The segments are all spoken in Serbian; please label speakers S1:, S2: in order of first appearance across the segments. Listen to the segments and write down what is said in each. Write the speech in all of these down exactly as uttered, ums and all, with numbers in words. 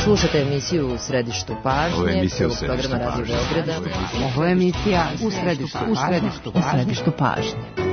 S1: Slušajte emisiju U središtu pažnje, prvog programa Radio Beograda.
S2: Ovo je emisija U središtu, u središtu, u središtu pažnje.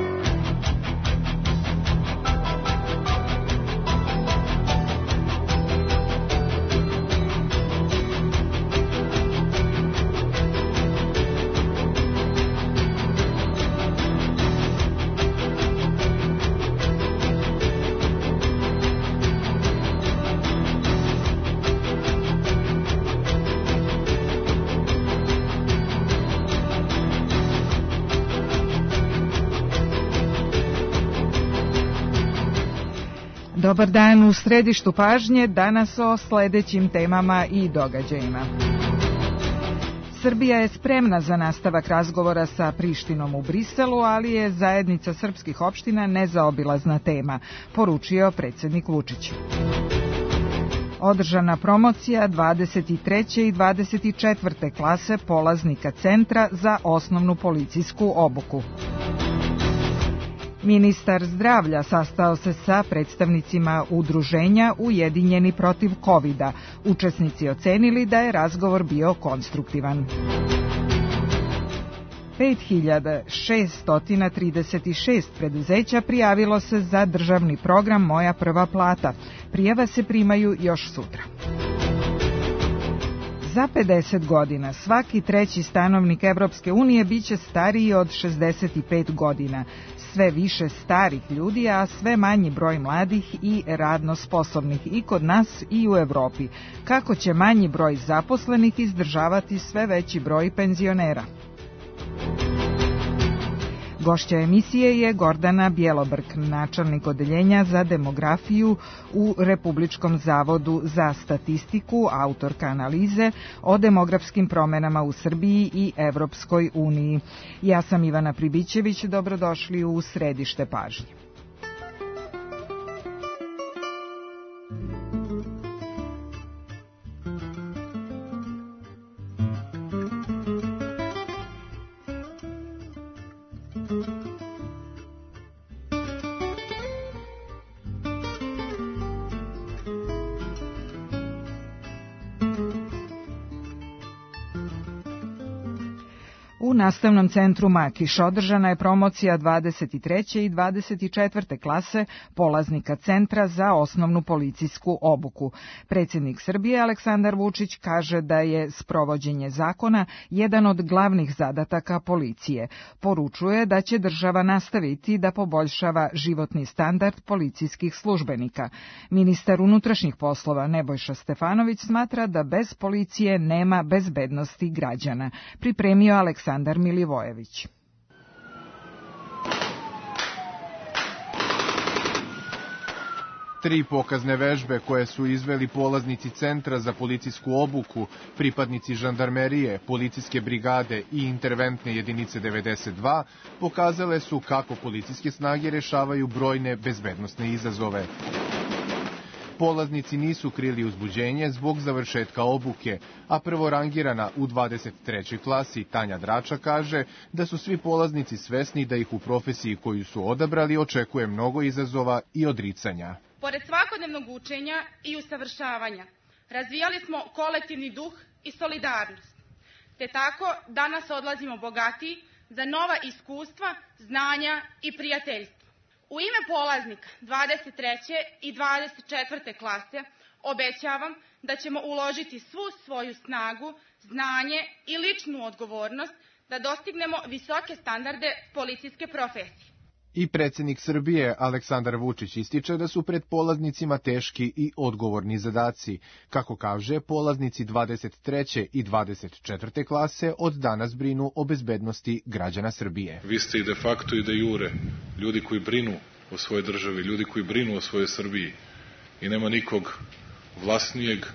S3: Dobar dan, u središtu pažnje, danas o sledećim temama i događajima. Srbija je spremna za nastavak razgovora sa Prištinom u Briselu, ali je zajednica srpskih opština nezaobilazna tema, poručio predsednik Vučić. Održana promocija dvadeset treće i dvadeset četvrte klase polaznika Centra za osnovnu policijsku obuku. Ministar zdravlja sastao se sa predstavnicima udruženja Ujedinjeni protiv kovida. Učesnici ocenili da je razgovor bio konstruktivan. pet hiljada šesto trideset šest preduzeća prijavilo se za državni program Moja prva plata. Prijave se primaju još sutra. Za pedeset godina svaki treći stanovnik Evropske unije biće stariji od šezdeset pet godina. Sve više starih ljudi, a sve manji broj mladih i radno sposobnih i kod nas i u Evropi. Kako će manji broj zaposlenih izdržavati sve veći broj penzionera? Gošća emisije je Gordana Bjelobrk, načelnik odeljenja za demografiju u Republičkom zavodu za statistiku, autorka analize o demografskim promenama u Srbiji i Evropskoj uniji. Ja sam Ivana Pribićević, dobrodošli u središte pažnje. U Nastavnom centru Makiš održana je promocija dvadeset treće i dvadeset četvrte klase polaznika Centra za osnovnu policijsku obuku. Predsjednik Srbije Aleksandar Vučić kaže da je sprovođenje zakona jedan od glavnih zadataka policije. Poručuje da će država nastaviti da poboljšava životni standard policijskih službenika. Ministar unutrašnjih poslova Nebojša Stefanović smatra da bez policije nema bezbednosti građana. Pripremio Aleksandar Aleksandar Milivojević.
S4: Tri pokazne vežbe koje su izveli polaznici Centra za policijsku obuku, pripadnici žandarmerije, policijske brigade i interventne jedinice devedeset dva pokazale su kako policijske snage rešavaju brojne bezbednosne izazove. Polaznici nisu krili uzbuđenje zbog završetka obuke, a prvorangirana u dvadeset trećoj klasi Tanja Drača kaže da su svi polaznici svesni da ih u profesiji koju su odabrali očekuje mnogo izazova i odricanja.
S5: Pored svakodnevnog učenja i usavršavanja, razvijali smo kolektivni duh i solidarnost, te tako danas odlazimo bogatiji za nova iskustva, znanja i prijateljstva. U ime polaznika dvadeset treće i dvadeset četvrte klase obećavam da ćemo uložiti svu svoju snagu, znanje i ličnu odgovornost da dostignemo visoke standarde policijske profesije.
S4: I predsjednik Srbije Aleksandar Vučić ističe da su pred polaznicima teški i odgovorni zadaci. Kako kaže, polaznici dvadeset treće i dvadeset četvrte klase od danas brinu o bezbednosti građana Srbije.
S6: Vi ste i de facto i de jure ljudi koji brinu o svojoj državi, ljudi koji brinu o svojoj Srbiji i nema nikog vlasnijeg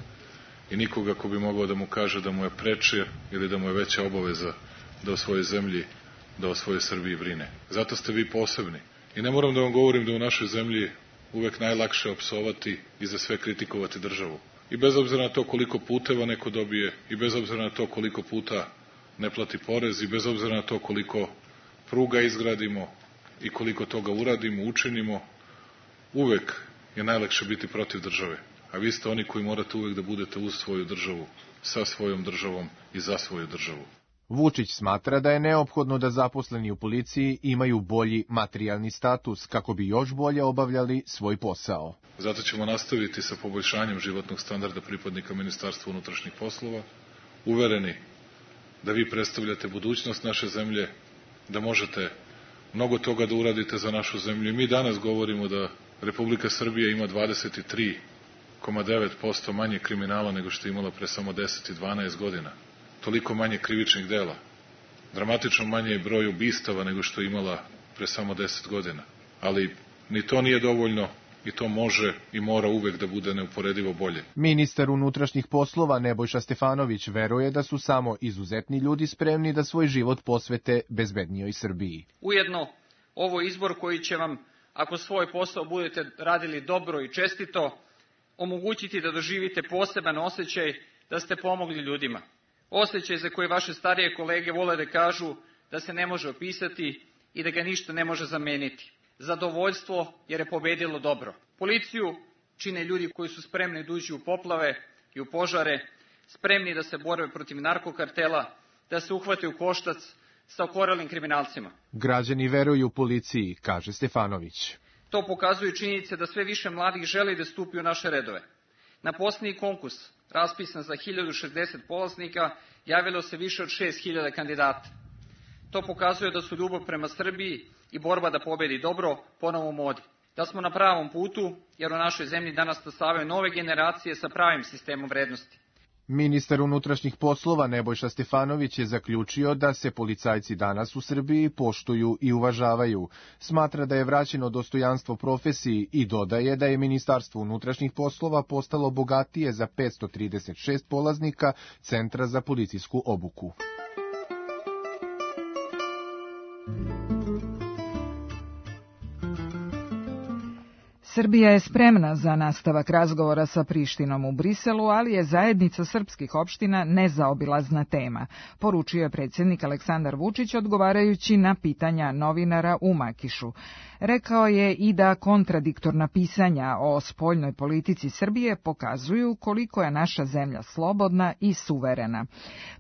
S6: i nikoga ko bi mogao da mu kaže da mu je preče ili da mu je veća obaveza da o svojoj zemlji, da o svojoj Srbiji brine. Zato ste vi posebni. I ne moram da vam govorim da u našoj zemlji uvek najlakše opsovati i za sve kritikovati državu. I bez obzira na to koliko puteva neko dobije, i bez obzira na to koliko puta ne plati porez, i bez obzira na to koliko pruga izgradimo i koliko toga uradimo, učinimo, uvek je najlakše biti protiv države. a vi ste oni koji morate uvek da budete uz svoju državu, sa svojom državom i za svoju državu.
S4: Vučić smatra da je neophodno da zaposleni u policiji imaju bolji materijalni status kako bi još bolje obavljali svoj posao.
S6: Zato ćemo nastaviti sa poboljšanjem životnog standarda pripadnika Ministarstva unutrašnjih poslova, uvereni da vi predstavljate budućnost naše zemlje, da možete mnogo toga da uradite za našu zemlju. I mi danas govorimo da Republika Srbija ima dvadeset tri zarez devet posto manje kriminala nego što je imala pre samo deset i dvanaest godina. Toliko manje krivičnih dela. Dramatično manje je broj ubistava nego što je imala pre samo deset godina. Ali ni to nije dovoljno i to može i mora uvek da bude neuporedivo bolje.
S4: Ministar unutrašnjih poslova Nebojša Stefanović veruje da su samo izuzetni ljudi spremni da svoj život posvete bezbednijoj Srbiji.
S7: Ujedno, ovo je izbor koji će vam, ako svoj posao budete radili dobro i čestito, omogućiti da doživite poseban osjećaj da ste pomogli ljudima. Osjećaj za koji vaše starije kolege vole da kažu da se ne može opisati i da ga ništa ne može zameniti. Zadovoljstvo jer je pobedilo dobro. Policiju čine ljudi koji su spremni da uđu u poplave i u požare, spremni da se bore protiv narkokartela, da se uhvate u koštac sa okorelim kriminalcima.
S4: Građani veruju policiji, kaže Stefanović.
S7: To pokazuje činjenice da sve više mladih želi da stupi u naše redove. Na posljednji konkurs, raspisan za hiljadu šezdeset polaznika, javilo se više od šest hiljada kandidata. To pokazuje da su ljubav prema Srbiji i borba da pobedi dobro ponovo u modi. Da smo na pravom putu, jer u našoj zemlji danas stasavaju nove generacije sa pravim sistemom vrednosti.
S4: Ministar unutrašnjih poslova Nebojša Stefanović je zaključio da se policajci danas u Srbiji poštuju i uvažavaju. Smatra da je vraćeno dostojanstvo profesiji i dodaje da je Ministarstvo unutrašnjih poslova postalo bogatije za petsto trideset šest polaznika Centra za policijsku obuku.
S3: Srbija je spremna za nastavak razgovora sa Prištinom u Briselu, ali je zajednica srpskih opština nezaobilazna tema, poručio je predsjednik Aleksandar Vučić odgovarajući na pitanja novinara u Makišu. Rekao je i da kontradiktorna pisanja o spoljnoj politici Srbije pokazuju koliko je naša zemlja slobodna i suverena.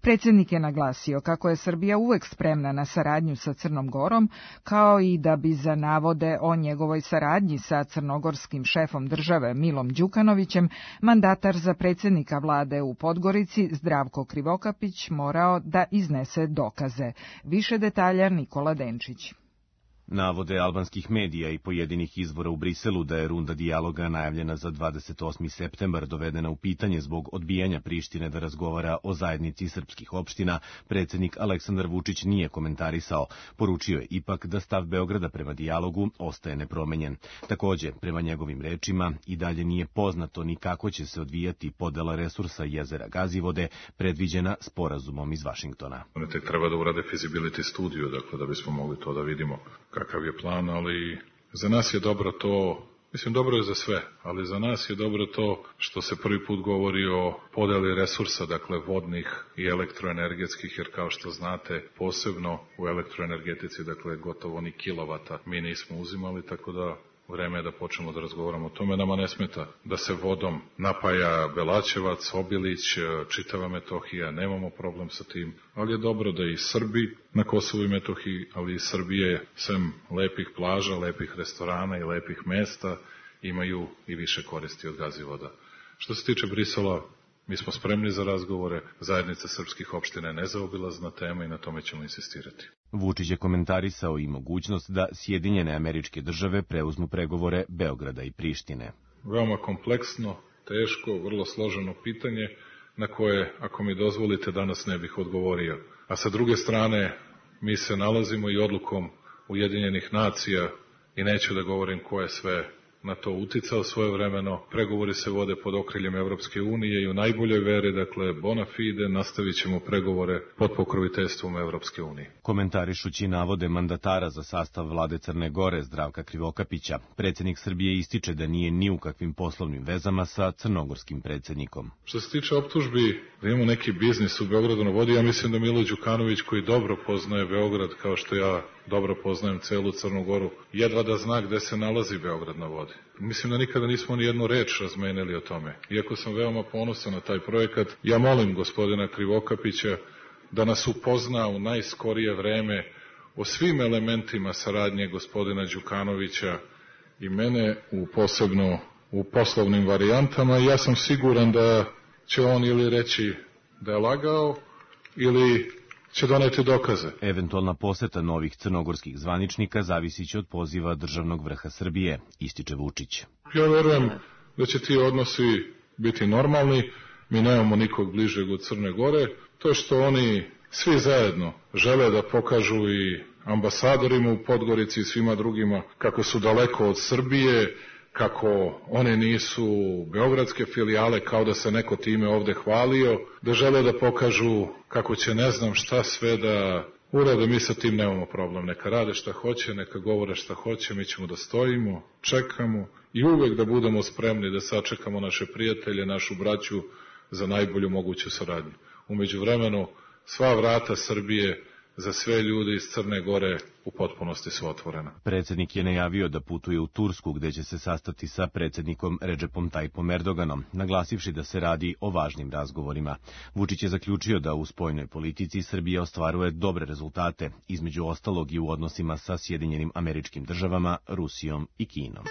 S3: Predsjednik je naglasio kako je Srbija uvek spremna na saradnju sa Crnom Gorom, kao i da bi za navode o njegovoj saradnji sa crnogorskim šefom države Milom Đukanovićem mandatar za predsjednika vlade u Podgorici Zdravko Krivokapić morao da iznese dokaze. Više detalja Nikola Denčić.
S8: Navode albanskih medija i pojedinih izvora u Briselu da je runda dijaloga najavljena za dvadeset osmi septembar dovedena u pitanje zbog odbijanja Prištine da razgovara o zajednici srpskih opština, predsjednik Aleksandar Vučić nije komentarisao. Poručio je ipak da stav Beograda prema dijalogu ostaje nepromenjen. Takođe, prema njegovim rečima, i dalje nije poznato ni kako će se odvijati podela resursa jezera Gazivode, predviđena sporazumom iz Vašingtona.
S6: Oni tek treba da urade feasibility studiju, dakle, da bismo mogli to da vidimo kakav je plan, ali za nas je dobro to, mislim dobro je za sve, ali za nas je dobro to što se prvi put govori o podeli resursa, dakle vodnih i elektroenergetskih, jer kao što znate, posebno u elektroenergetici, dakle gotovo ni kilovata mi nismo uzimali, tako da vreme je da počnemo da razgovaramo o tome. Nama ne smeta da se vodom napaja Belačevac, Obilić, čitava Metohija, nemamo problem sa tim, ali je dobro da i Srbi na Kosovu i Metohiji, ali i Srbije, sem lepih plaža, lepih restorana i lepih mesta, imaju i više koristi od Gazivoda. Što se tiče Brisela, mi smo spremni za razgovore, zajednica srpskih opština je nezaobilazna tema i na tome ćemo insistirati.
S8: Vučić je komentarisao i mogućnost da Sjedinjene Američke Države preuzmu pregovore Beograda i Prištine.
S6: Veoma kompleksno, teško, vrlo složeno pitanje na koje, ako mi dozvolite, danas ne bih odgovorio. A sa druge strane, mi se nalazimo i odlukom Ujedinjenih nacija, i neću da govorim ko je sve na to uticao svojevremeno. Pregovori se vode pod okriljem Evropske unije i u najboljoj veri, dakle, bona fide, nastavit ćemo pregovore pod pokroviteljstvom Evropske unije.
S8: Komentarišući navode mandatara za sastav vlade Crne Gore Zdravka Krivokapića, predsjednik Srbije ističe da nije ni u kakvim poslovnim vezama sa crnogorskim predsjednikom.
S6: Što se tiče optužbi da imamo neki biznis u Beogradu na vodi, ja mislim da Milo Đukanović, koji dobro poznaje Beograd kao što ja dobro poznajem celu Crnu Goru, jedva da zna gde se nalazi Beograd na vodi. Mislim da nikada nismo ni jednu reč razmenili o tome. Iako sam veoma ponosan na taj projekat, ja molim gospodina Krivokapića da nas upozna u najskorije vreme o svim elementima saradnje gospodina Đukanovića i mene, u posebno u poslovnim varijantama. Ja sam siguran da će on ili reći da je lagao ili će doneti dokaze.
S8: Eventualna poseta novih crnogorskih zvaničnika zavisit će od poziva državnog vrha Srbije, ističe Vučić.
S6: Ja verujem da će ti odnosi biti normalni, mi nemamo nikog bližeg od Crne Gore, to što oni svi zajedno žele da pokažu i ambasadorima u Podgorici i svima drugima kako su daleko od Srbije, kako one nisu beogradske filijale, kao da se neko time ovde hvalio, da žele da pokažu kako će ne znam šta sve da urade, mi sa tim nemamo problem. Neka rade šta hoće, neka govore šta hoće, mi ćemo da stojimo, čekamo i uvek da budemo spremni da sačekamo naše prijatelje, našu braću za najbolju moguću saradnju. Umeđu vremenu, sva vrata Srbije za sve ljudi iz Crne Gore u potpunosti su otvorena.
S8: Predsjednik je najavio da putuje u Tursku, gde će se sastati sa predsjednikom Redžepom Tajipom Erdoganom, naglasivši da se radi o važnim razgovorima. Vučić je zaključio da u spoljnoj politici Srbija ostvaruje dobre rezultate, između ostalog i u odnosima sa Sjedinjenim Američkim Državama, Rusijom i Kinom.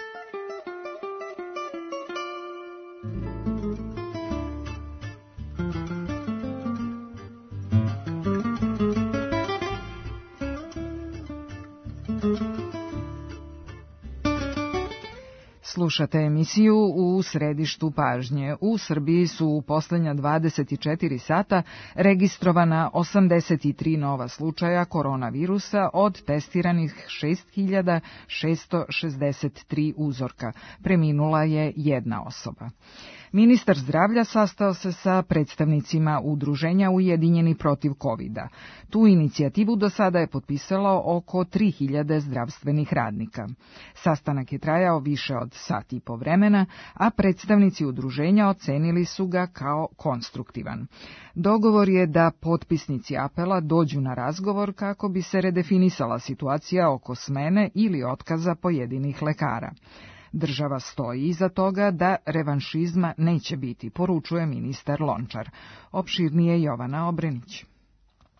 S3: Slušate emisiju U središtu pažnje. U Srbiji su u posljednja dvadeset četiri sata registrovana osamdeset tri nova slučaja koronavirusa od testiranih šest hiljada šesto šezdeset tri uzorka. Preminula je jedna osoba. Ministar zdravlja sastao se sa predstavnicima udruženja Ujedinjeni protiv kovida. Tu inicijativu do sada je potpisalo oko tri hiljade zdravstvenih radnika. Sastanak je trajao više od sat i po vremena, a predstavnici udruženja ocenili su ga kao konstruktivan. Dogovor je da potpisnici apela dođu na razgovor kako bi se redefinisala situacija oko smene ili otkaza pojedinih lekara. Država stoji iza toga da revanšizma neće biti, poručuje ministar Lončar. Opširnije Jovana Obrenić.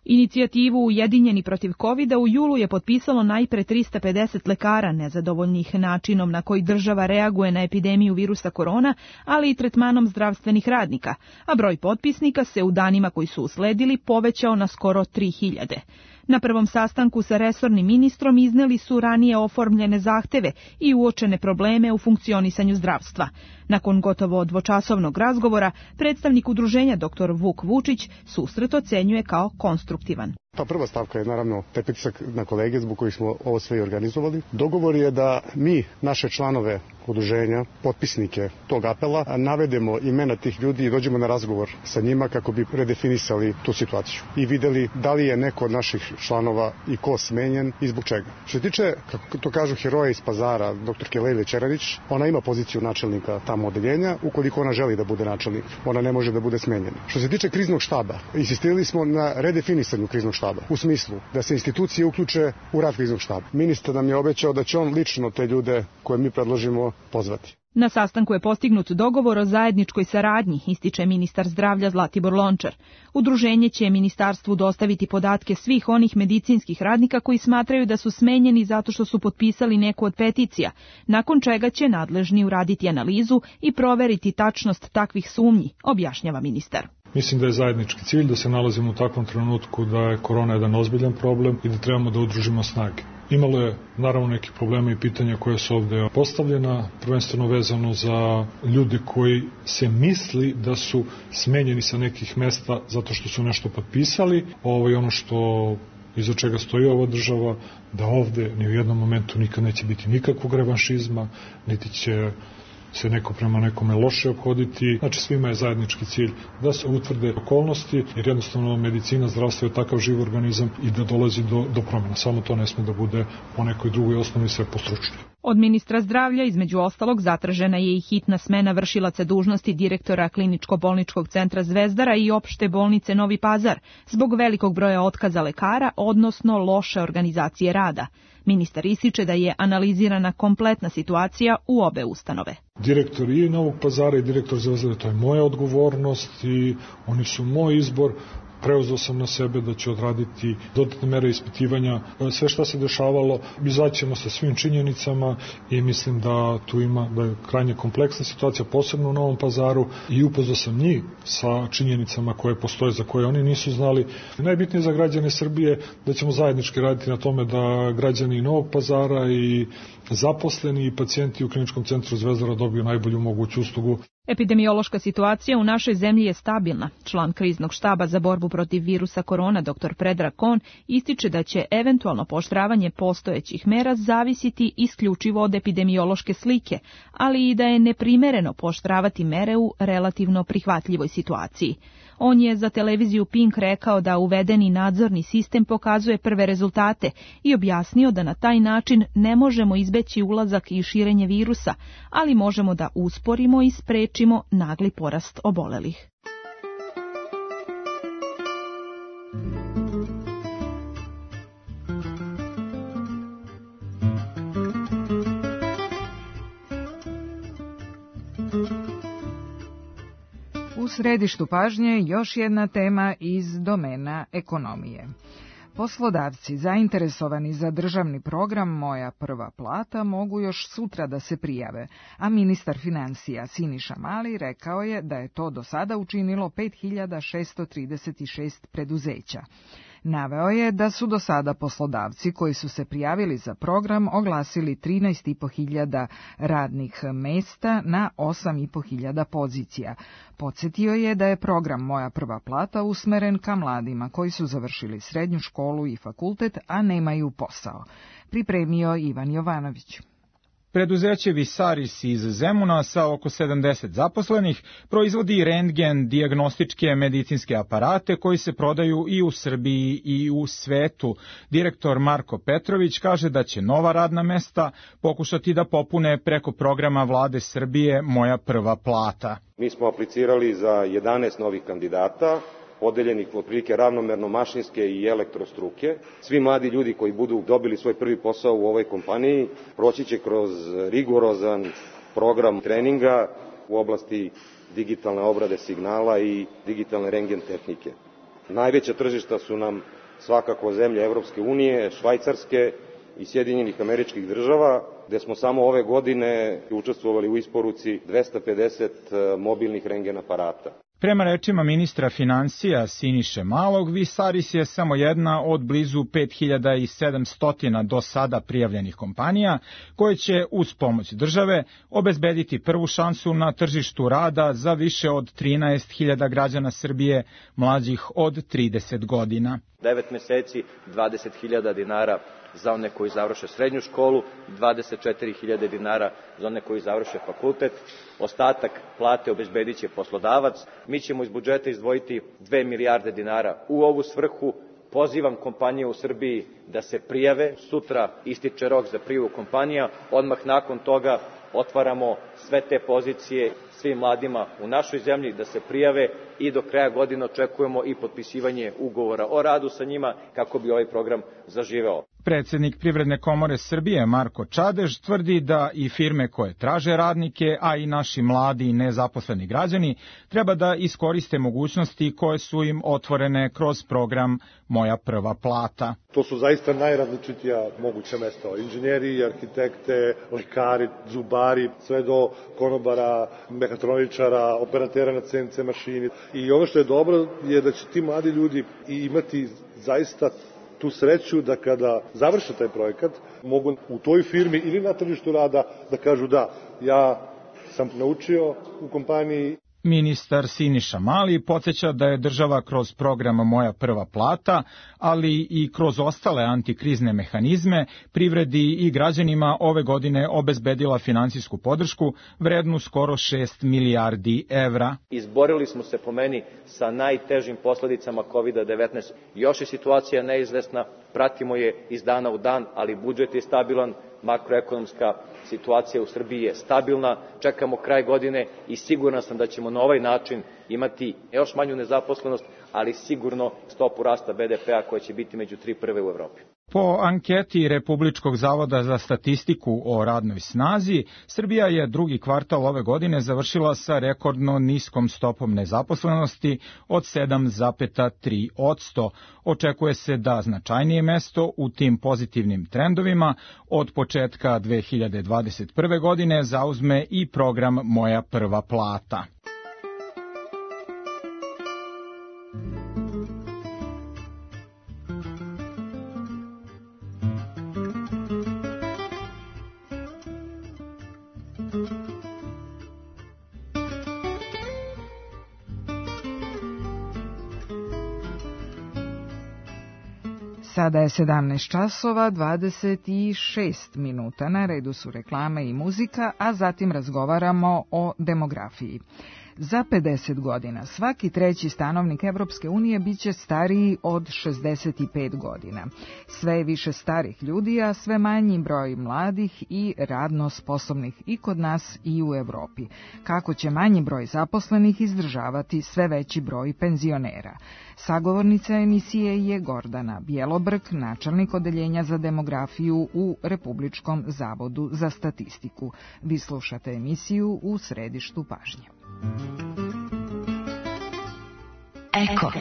S9: Inicijativu Ujedinjeni protiv kovida u julu je potpisalo najpre trista pedeset lekara nezadovoljnih načinom na koji država reaguje na epidemiju virusa korona, ali i tretmanom zdravstvenih radnika, a broj potpisnika se u danima koji su usledili povećao na skoro tri hiljade. Na prvom sastanku sa resornim ministrom izneli su ranije oformljene zahteve i uočene probleme u funkcionisanju zdravstva. Nakon gotovo dvočasovnog razgovora, predstavnik udruženja doktor Vuk Vučić susret ocenjuje kao konstruktivan.
S10: Ta prva stavka je naravno taj pritisak na kolege zbog kojih smo ovo sve i organizovali. Dogovor je da mi, naše članove udruženja, potpisnike tog apela, navedemo imena tih ljudi i dođemo na razgovor sa njima kako bi redefinisali tu situaciju i videli da li je neko od naših članova i ko smenjen i zbog čega. Što se tiče, kako to kažu heroja iz Pazara, doktorke Lejle Čeranić, ona ima poziciju načelnika tamo odeljenja, ukoliko ona želi da bude načelnik, ona ne može da bude smenjena. Što se tiče kriznog štaba, insistirali smo na redefinisanju kriznog štaba, u smislu da se institucije uključe u rad kriznog štaba. Ministar nam je obećao da će on lično te ljude koje mi predložimo pozvati.
S9: Na sastanku je postignut dogovor o zajedničkoj saradnji, ističe ministar zdravlja Zlatibor Lončar. Udruženje će ministarstvu dostaviti podatke svih onih medicinskih radnika koji smatraju da su smenjeni zato što su potpisali neku od peticija, nakon čega će nadležni uraditi analizu i proveriti tačnost takvih sumnji, objašnjava ministar.
S11: Mislim da je zajednički cilj da se nalazimo u takvom trenutku da je korona jedan ozbiljan problem i da trebamo da udružimo snage. Imalo je naravno neki problema i pitanja koje su ovde postavljena, prvenstveno vezano za ljude koji se misli da su smenjeni sa nekih mesta zato što su nešto potpisali. Ovo je ono što iza čega stoji ova država, da ovde ni u jednom momentu nikad neće biti nikakvog revanšizma, niti će se neko prema nekome loše ophoditi. Znači svima je zajednički cilj da se utvrde okolnosti, jer jednostavno medicina, zdravstvo je takav živ organizam i da dolazi do, do promjena. Samo to ne sme da bude po nekoj drugoj osnovi sve postručnije.
S9: Od ministra zdravlja, između ostalog, zatražena je i hitna smena vršilaca dužnosti direktora Kliničko-bolničkog centra Zvezdara i opšte bolnice Novi Pazar zbog velikog broja otkaza lekara, odnosno loše organizacije rada. Ministar ističe da je analizirana kompletna situacija u obe ustanove.
S11: Direktor i Novog Pazara i direktor Zvezdara, to je moja odgovornost i oni su moj izbor. Preuzeo sam na sebe da ću odraditi dodatne mere ispitivanja, sve šta se dešavalo, izaćemo sa svim činjenicama i mislim da tu ima da je krajnje kompleksna situacija, posebno u Novom Pazaru, i upoznao sam njih sa činjenicama koje postoje, za koje oni nisu znali. Najbitnije za građane Srbije da ćemo zajednički raditi na tome da građani Novog Pazara i zaposleni i pacijenti u Kliničkom centru Zvezdara dobiju najbolju moguću uslugu.
S9: Epidemiološka situacija u našoj zemlji je stabilna. Član kriznog štaba za borbu protiv virusa korona dr Predrag Kon ističe da će eventualno pooštravanje postojećih mera zavisiti isključivo od epidemiološke slike, ali i da je neprimereno pooštravati mere u relativno prihvatljivoj situaciji. On je za televiziju Pink rekao da uvedeni nadzorni sistem pokazuje prve rezultate i objasnio da na taj način ne možemo izbeći ulazak i širenje virusa, ali možemo da usporimo i sprečimo nagli porast obolelih.
S3: U središtu pažnje još jedna tema iz domena ekonomije. Poslodavci zainteresovani za državni program Moja prva plata mogu još sutra da se prijave, a ministar financija Siniša Mali rekao je da je to do sada učinilo pet hiljada šessto trideset šest preduzeća. Naveo je da su do sada poslodavci koji su se prijavili za program oglasili trinaest i po hiljada radnih mesta na osam i po hiljada pozicija. Podsjetio je da je program Moja prva plata usmeren ka mladima koji su završili srednju školu i fakultet, a nemaju posao. Pripremio Ivan Jovanović.
S12: Preduzeće Visaris iz Zemuna sa oko sedamdeset zaposlenih proizvodi rentgen dijagnostičke medicinske aparate koji se prodaju i u Srbiji i u svetu. Direktor Marko Petrović kaže da će nova radna mesta pokušati da popune preko programa Vlade Srbije Moja prva plata.
S13: Mi smo aplicirali za jedanaest novih kandidata, podeljenih otprilike ravnomerno mašinske i elektrostruke. Svi mladi ljudi koji budu dobili svoj prvi posao u ovoj kompaniji proći će kroz rigorozan program treninga u oblasti digitalne obrade signala i digitalne rentgen tehnike. Najveća tržišta su nam svakako zemlje Evropske unije, Švajcarske i Sjedinjenih Američkih Država, gde smo samo ove godine učestvovali u isporuci dvesta pedeset mobilnih rentgen aparata.
S12: Prema rečima ministra financija Siniše Malog, Visaris je samo jedna od blizu pet hiljada sedamsto do sada prijavljenih kompanija, koje će uz pomoć države obezbediti prvu šansu na tržištu rada za više od trinaest hiljada građana Srbije mlađih od trideset godina.
S14: devet meseci, dvadeset hiljada dinara za one koji završe srednju školu, dvadeset četiri hiljade dinara za one koji završe fakultet. Ostatak plate obezbedit će poslodavac. Mi ćemo iz budžeta izdvojiti dve milijarde dinara u ovu svrhu. Pozivam kompanije u Srbiji da se prijave. Sutra ističe rok za prijavu kompanija. Odmah nakon toga otvaramo sve te pozicije svim mladima u našoj zemlji da se prijave i do kraja godine očekujemo i potpisivanje ugovora o radu sa njima kako bi ovaj program zaživeo.
S12: Predsednik Privredne komore Srbije Marko Čadež tvrdi da i firme koje traže radnike, a i naši mladi i nezaposleni građani treba da iskoriste mogućnosti koje su im otvorene kroz program Moja prva plata.
S15: To su zaista najrazličitija moguća mesta. Inženjeri, arhitekte, lekari, zubari, sve do konobara, mehatroničara, operatera na C N C mašini. I ono što je dobro je da će ti mladi ljudi imati zaista tu sreću da kada završe taj projekat mogu u toj firmi ili na tržištu rada da kažu da, ja sam naučio u kompaniji.
S12: Ministar Siniša Mali podsjeća da je država kroz program Moja prva plata, ali i kroz ostale antikrizne mehanizme, privredi i građanima ove godine obezbedila finansijsku podršku vrednu skoro šest milijardi evra.
S14: Izborili smo se po meni sa najtežim posledicama kovid devetnaest. Još je situacija neizvesna, pratimo je iz dana u dan, ali budžet je stabilan, makroekonomska situacija u Srbiji je stabilna, čekamo kraj godine i siguran sam da ćemo na ovaj način imati još manju nezaposlenost, ali sigurno stopu rasta be de pea koja će biti među tri prve u Evropi.
S12: Po anketi Republičkog zavoda za statistiku o radnoj snazi, Srbija je drugi kvartal ove godine završila sa rekordno niskom stopom nezaposlenosti od sedam zarez tri posto. Očekuje se da značajnije mesto u tim pozitivnim trendovima od početka dve hiljade dvadeset prve. godine zauzme i program Moja prva plata.
S3: Sada je sedamnaest časova dvadeset šest minuta. Na redu su reklame i muzika, a zatim razgovaramo o demografiji. Za pedeset godina svaki treći stanovnik Evropske unije biće stariji od šezdeset pet godina. Sve je više starih ljudi, a sve manji broj mladih i radno sposobnih i kod nas i u Evropi. Kako će manji broj zaposlenih izdržavati sve veći broj penzionera? Sagovornica emisije je Gordana Bjelobrk, načelnik odeljenja za demografiju u Republičkom zavodu za statistiku. Vi slušate emisiju U središtu pažnje.
S16: Eko.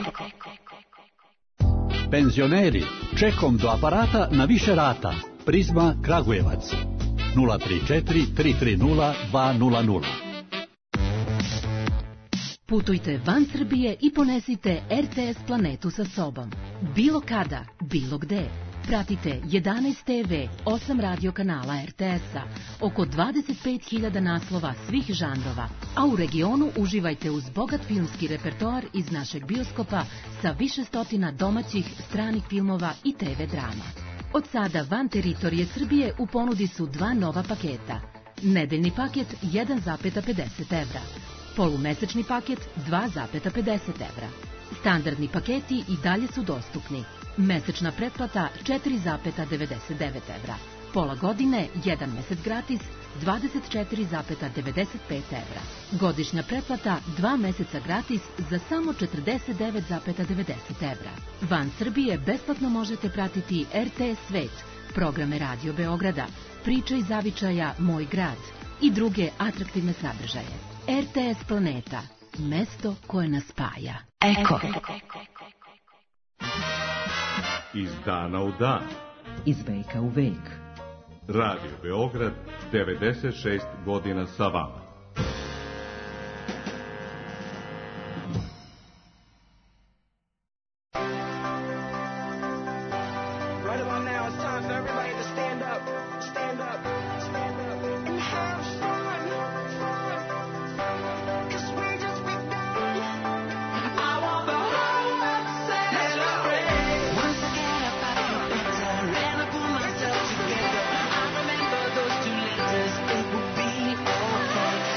S16: Penzioneri, čekom do aparata na više rata. Prizma Kragujevac. nula tri četiri tri tri nula dva nula nula.
S17: Putujte van Srbije i ponesite er te es Planetu sa sobom. Bilo kada, bilo gde. Pratite jedanaest te ve, osam radio kanala er te es-a, oko dvadeset pet hiljada naslova svih žanrova, a u regionu uživajte uz bogat filmski repertoar iz našeg bioskopa sa više stotina domaćih, stranih filmova i te ve drama. Od sada van teritorije Srbije u ponudi su dva nova paketa. Nedeljni paket jedan zarez pedeset evra, polumesečni paket dva zarez pedeset evra. Standardni paketi i dalje su dostupni. Mesečna pretplata četiri zarez devedeset devet evra. Pola godine, jedan mesec gratis, dvadeset četiri zarez devedeset pet evra. Godišnja pretplata, dva meseca gratis za samo četrdeset devet zarez devedeset evra. Van Srbije besplatno možete pratiti er te es Svet, programe Radio Beograda, Priče iz zavičaja Moj grad i druge atraktivne sadržaje. er te es Planeta, mesto koje nas spaja.
S16: Eko.
S18: Iz dana u dan.
S19: Iz veka u vek.
S18: Radio Beograd, devedeset šest godina sa vama.
S20: It would be okay.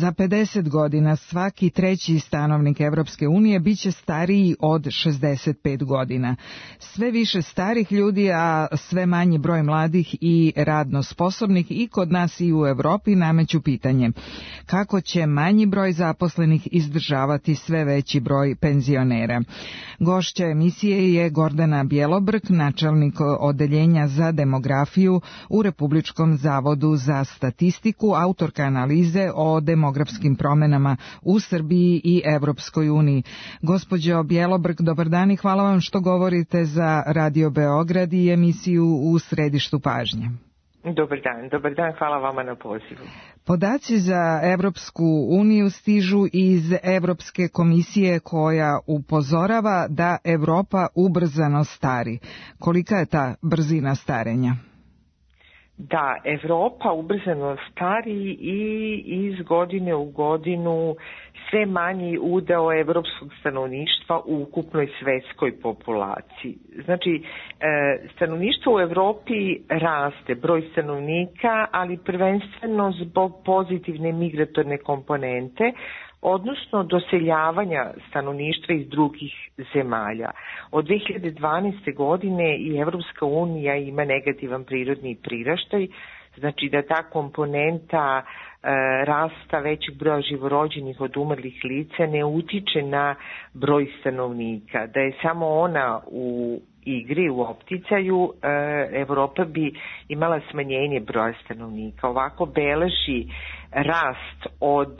S3: Za pedeset godina svaki treći stanovnik Evropske unije biće stariji od šezdeset pet godina. Sve više starih ljudi, a sve manji broj mladih i radno sposobnih i kod nas i u Evropi nameću pitanje kako će manji broj zaposlenih izdržavati sve veći broj penzionera. Gošća emisije je Gordana Bjelobrk, načelnik odeljenja za demografiju u Republičkom zavodu za statistiku, autorka analize o demografskim promenama u Srbiji i Evropskoj uniji. Gospođo Bjelobrk, dobar dan i hvala vam što govorite za Radio Beograd i emisiju U središtu pažnje.
S20: Dobar dan, dobar dan, hvala vama na pozivu.
S3: Podaci za Evropsku uniju stižu iz Evropske komisije koja upozorava da Evropa ubrzano stari. Kolika je ta brzina starenja?
S20: Da, Evropa ubrzano stari i iz godine u godinu sve manji udeo evropskog stanovništva u ukupnoj svetskoj populaciji. Znači, stanovništvo u Evropi raste, broj stanovnika, ali prvenstveno zbog pozitivne migratorne komponente, odnosno doseljavanja stanovništva iz drugih zemalja. Od dve hiljade dvanaeste. godine i Evropska unija ima negativan prirodni priraštaj, znači da ta komponenta e, rasta većeg broja živorođenih od umrlih lica ne utiče na broj stanovnika, da je samo ona u igri, u opticaju, e, Evropa bi imala smanjenje broja stanovnika. Ovako beleži rast od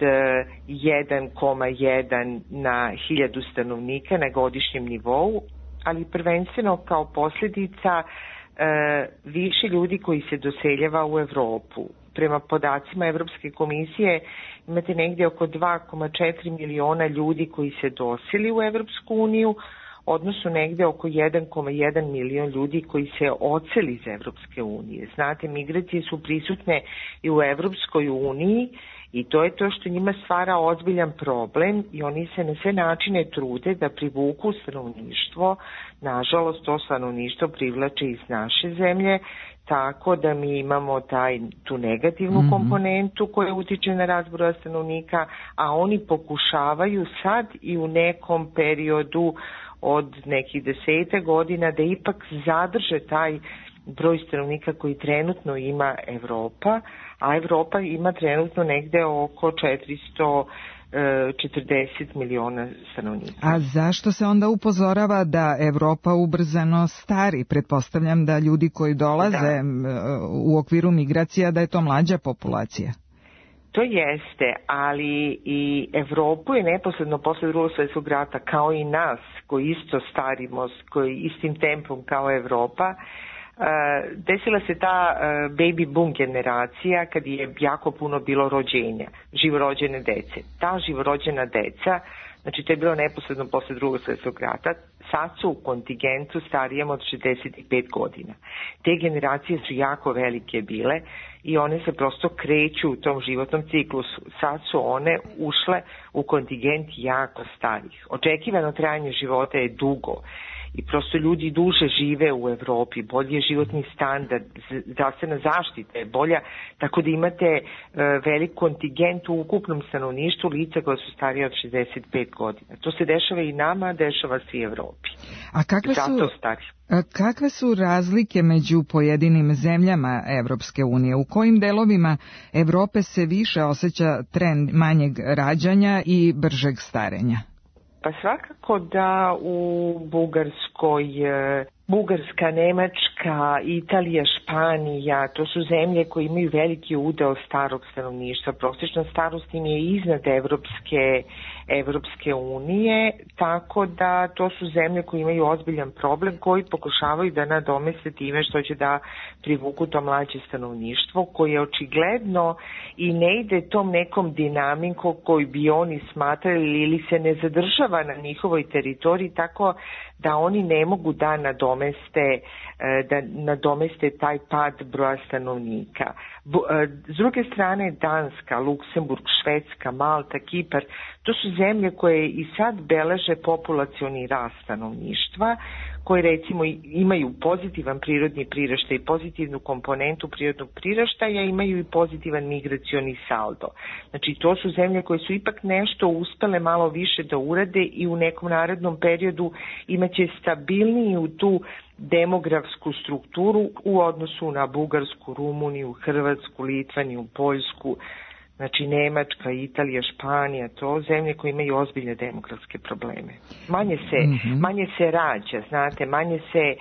S20: jedan zarez jedan na hiljadu stanovnika na godišnjem nivou, ali prvenstveno kao posljedica e, više ljudi koji se doseljava u Evropu. Prema podacima Evropske komisije imate negdje oko dva zarez četiri miliona ljudi koji se doseli u Evropsku uniju, odnosno negde oko jedan zarez jedan milion ljudi koji se odseli iz Evropske unije. Znate, migracije su prisutne i u Evropskoj uniji i to je to što njima stvara ozbiljan problem i oni se na sve načine trude da privuku stanovništvo. Nažalost, to stanovništvo privlače iz naše zemlje, tako da mi imamo taj, tu negativnu mm-hmm. komponentu koja utiče na rast broja stanovnika, a oni pokušavaju sad i u nekom periodu od nekih desete godina da ipak zadrže taj broj stanovnika koji trenutno ima Evropa, a Evropa ima trenutno negde oko četiristo četrdeset miliona stanovnika.
S3: A zašto se onda upozorava da Evropa ubrzano stari? Pretpostavljam da ljudi koji dolaze da. u okviru migracija da je to mlađa populacija.
S20: To jeste, ali i Evropu je neposredno posle drugog svjetskog rata, kao i nas, koji isto starimo, koji istim tempom kao Evropa, desila se ta baby boom generacija kad je jako puno bilo rođenja, živorođene dece. Ta živorođena deca, znači to je bilo neposredno posle drugog svjetskog rata, sad su u kontingentu starijem od šezdeset pet godina. Te generacije su jako velike bile i one se prosto kreću u tom životnom ciklusu. Sad su one ušle u kontingent jako starih. Očekivano trajanje života je dugo i prosto ljudi duže žive u Evropi, bolji je životni standard, zdravstvena zaštita je bolja, tako da imate e, velik kontingent u ukupnom stanovništvu lica koja su starije od šezdeset pet godina. To se dešava i nama, dešava se i Evropi.
S3: A kakve
S20: zato
S3: su,
S20: stari.
S3: A kakve su razlike među pojedinim zemljama Evropske unije? U kojim delovima Evrope se više osjeća trend manjeg rađanja i bržeg starenja?
S20: Pa svakako da u Bugarskoj, Bugarska, Nemačka, Italija, Španija, to su zemlje koje imaju veliki udeo starog stanovništva. Prosječna starost im je iznad Evropske, Evropske unije, tako da to su zemlje koje imaju ozbiljan problem koji pokušavaju da nadomeste time što će da privuku to mlađe stanovništvo koje očigledno i ne ide tom nekom dinamikom koju bi oni smatrali ili se ne zadržava na njihovoj teritoriji, tako da oni ne mogu da nadomeste, da nadomeste taj pad broja stanovnika. S druge strane Danska, Luksemburg, Švedska, Malta, Kipar, to su zemlje koje i sad beleže populacioni rast stanovništva, koje recimo imaju pozitivan prirodni priraštaj i pozitivnu komponentu prirodnog priraštaja, imaju i pozitivan migracioni saldo. Znači to su zemlje koje su ipak nešto uspele malo više da urade i u nekom narednom periodu imaće stabilniju tu demografsku strukturu u odnosu na Bugarsku, Rumuniju, Hrvatsku, Litvaniju, Poljsku, znači Nemačka, Italija, Španija, to zemlje koje imaju ozbiljne demografske probleme. Manje se, mm-hmm. manje se rađa, znate, manje se,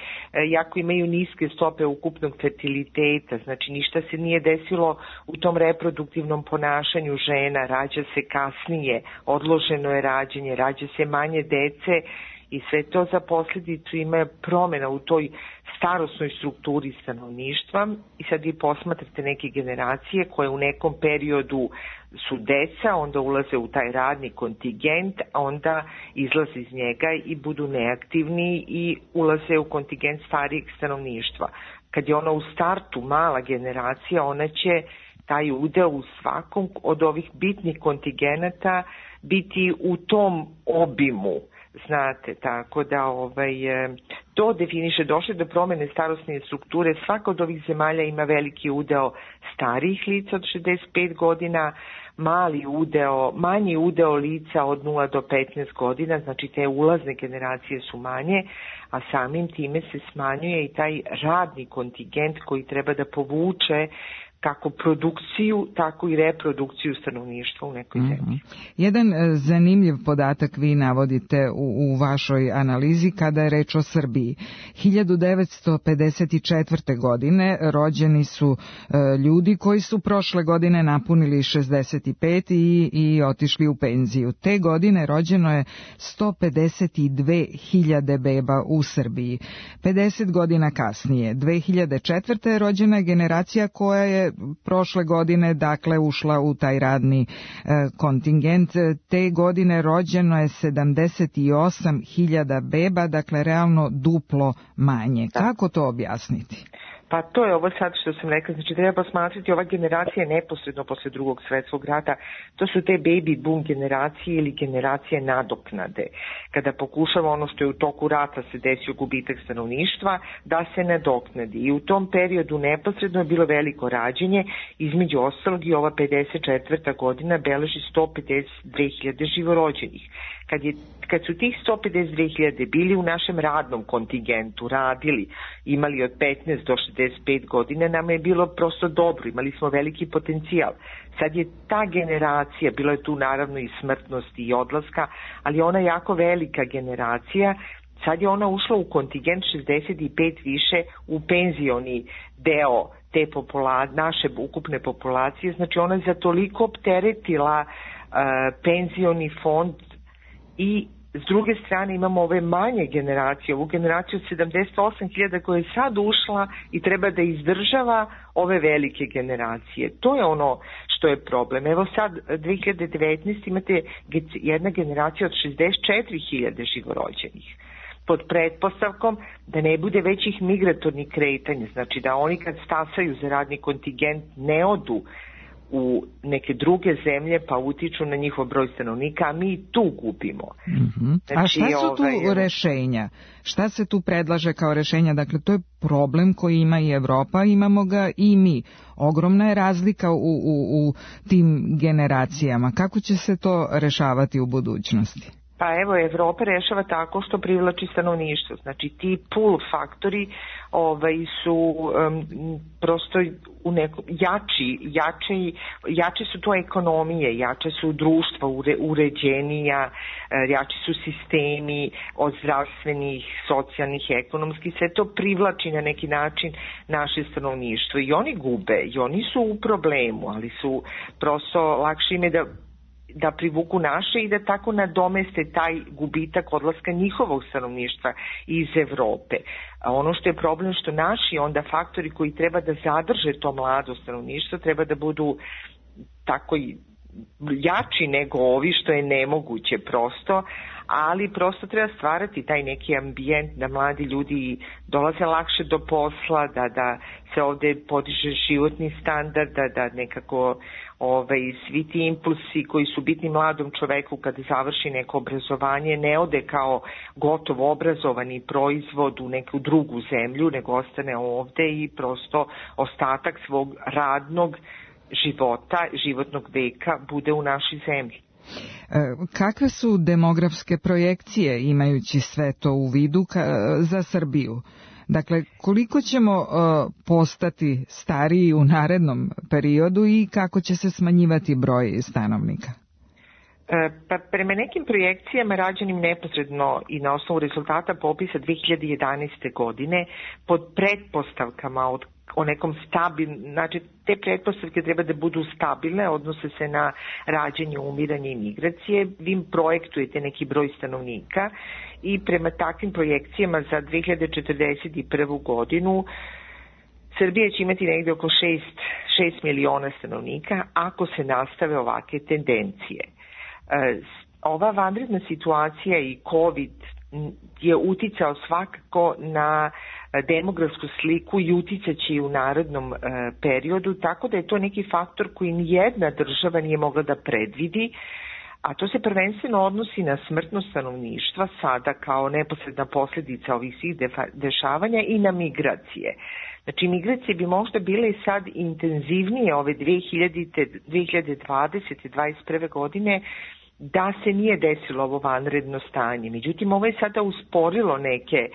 S20: jako imaju niske stope ukupnog fertiliteta, znači ništa se nije desilo u tom reproduktivnom ponašanju žena, rađa se kasnije, odloženo je rađenje, rađa se manje dece i sve to za posljedicu ima promjena u toj starosnoj strukturi stanovništva i sad vi posmatrate neke generacije koje u nekom periodu su deca, onda ulaze u taj radni kontingent, a onda izlaze iz njega i budu neaktivni i ulaze u kontingent starijeg stanovništva. Kad je ona u startu mala generacija, ona će taj udeo u svakom od ovih bitnih kontingenata biti u tom obimu. Znate, tako da ovaj, to definiše, došle do promjene starosne strukture, svaka od ovih zemalja ima veliki udeo starijih lica od šezdeset pet godina, mali udeo, manji udeo lica od nula do petnaest godina, znači te ulazne generacije su manje, a samim time se smanjuje i taj radni kontingent koji treba da povuče kako produkciju, tako i reprodukciju stanovništva u nekoj zemlji. Mm-hmm.
S3: Jedan zanimljiv podatak vi navodite u, u vašoj analizi kada je reč o Srbiji. hiljadu devetsto pedeset četvrte. godine rođeni su e, ljudi koji su prošle godine napunili šezdeset pet i, i otišli u penziju. Te godine rođeno je sto pedeset dve hiljade beba u Srbiji. pedeset godina kasnije, dve hiljade četvrte. rođena je generacija koja je prošle godine dakle ušla u taj radni e, kontingent. Te godine rođeno je sedamdeset osam hiljada beba, dakle realno duplo manje. Kako to objasniti?
S20: Pa to je ovo sad što sam rekla, znači treba posmatrati ova generacija neposredno posle drugog svjetskog rata, to su te baby boom generacije ili generacije nadoknade. Kada pokušava ono što je u toku rata se desio gubitak stanovništva, da se nadoknadi. I u tom periodu neposredno je bilo veliko rađenje, između ostalog i ova pedeset četvrta. godina beleži sto pedeset dve hiljade živorođenih. Kad, je, kad su tih sto pedeset dve hiljade bili u našem radnom kontingentu, radili, imali od petnaest do šezdeset pet godina, nama je bilo prosto dobro, imali smo veliki potencijal. Sad je ta generacija, bilo je tu naravno i smrtnosti i odlaska, ali ona je jako velika generacija, sad je ona ušla u kontingent šezdeset pet više u penzioni deo te popula, naše ukupne populacije, znači ona je za toliko opteretila uh, penzioni fond. I s druge strane imamo ove manje generacije, ovu generaciju od sedamdeset osam hiljada koja je sad ušla i treba da izdržava ove velike generacije. To je ono što je problem. Evo sad dve hiljade devetnaeste. imate jedna generacija od šezdeset četiri hiljade živorođenih. Pod pretpostavkom da ne bude većih migratornih kretanja, znači da oni kad stasaju za radni kontingent ne odu u neke druge zemlje pa utiču na njihov broj stanovnika, a mi tu gubimo.
S3: Mm-hmm. Znači, a šta su tu ovaj, rešenja? Šta se tu predlaže kao rešenja? Dakle, to je problem koji ima i Evropa, imamo ga i mi. Ogromna je razlika u, u, u tim generacijama. Kako će se to rešavati u budućnosti?
S20: Pa evo, Evropa rešava tako što privlači stanovništvo. Znači ti pull faktori ovaj, su um, prosto u nekom, jači, jači, jače su to ekonomije, jače su društva ure, uređenija, jači su sistemi od zdravstvenih, socijalnih, ekonomskih, sve to privlači na neki način naše stanovništvo i oni gube i oni su u problemu, ali su prosto lakše ime da da privuku naše i da tako nadomeste taj gubitak odlaska njihovog stanovništva iz Evrope. A ono što je problem što naši onda faktori koji treba da zadrže to mlado stanovništvo treba da budu tako jači nego ovi što je nemoguće prosto, ali prosto treba stvarati taj neki ambijent da mladi ljudi dolaze lakše do posla, da, da se ovde podiže životni standard, da, da nekako ovaj, svi ti impulsi koji su bitni mladom čoveku kada završi neko obrazovanje ne ode kao gotovo obrazovani proizvod u neku drugu zemlju, nego ostane ovde i prosto ostatak svog radnog života, životnog veka bude u našoj zemlji.
S3: Kakve su demografske projekcije imajući sve to u vidu ka, za Srbiju? Dakle, koliko ćemo uh, postati stariji u narednom periodu i kako će se smanjivati broj stanovnika?
S20: Pa prema nekim projekcijama rađenim neposredno i na osnovu rezultata popisa dve hiljade jedanaeste. godine pod pretpostavkama od o nekom stabilnom, znači te pretpostavke treba da budu stabilne, odnose se na rađanje, umiranje i migracije, vi projektujete neki broj stanovnika i prema takvim projekcijama za dve hiljade četrdeset prvu. godinu Srbija će imati negde oko šest miliona stanovnika ako se nastave ovake tendencije. Ova vanredna situacija i COVID je uticao svakako na demografsku sliku i uticaće i u narodnom e, periodu, tako da je to neki faktor koji nijedna država nije mogla da predvidi, a to se prvenstveno odnosi na smrtnost stanovništva sada kao neposredna posljedica ovih svih dešavanja i na migracije. Znači, migracije bi možda bile sad intenzivnije ove dve hiljade dvadesete. dvadeset prve. godine da se nije desilo ovo vanredno stanje. Međutim, ovo je sada usporilo neke e,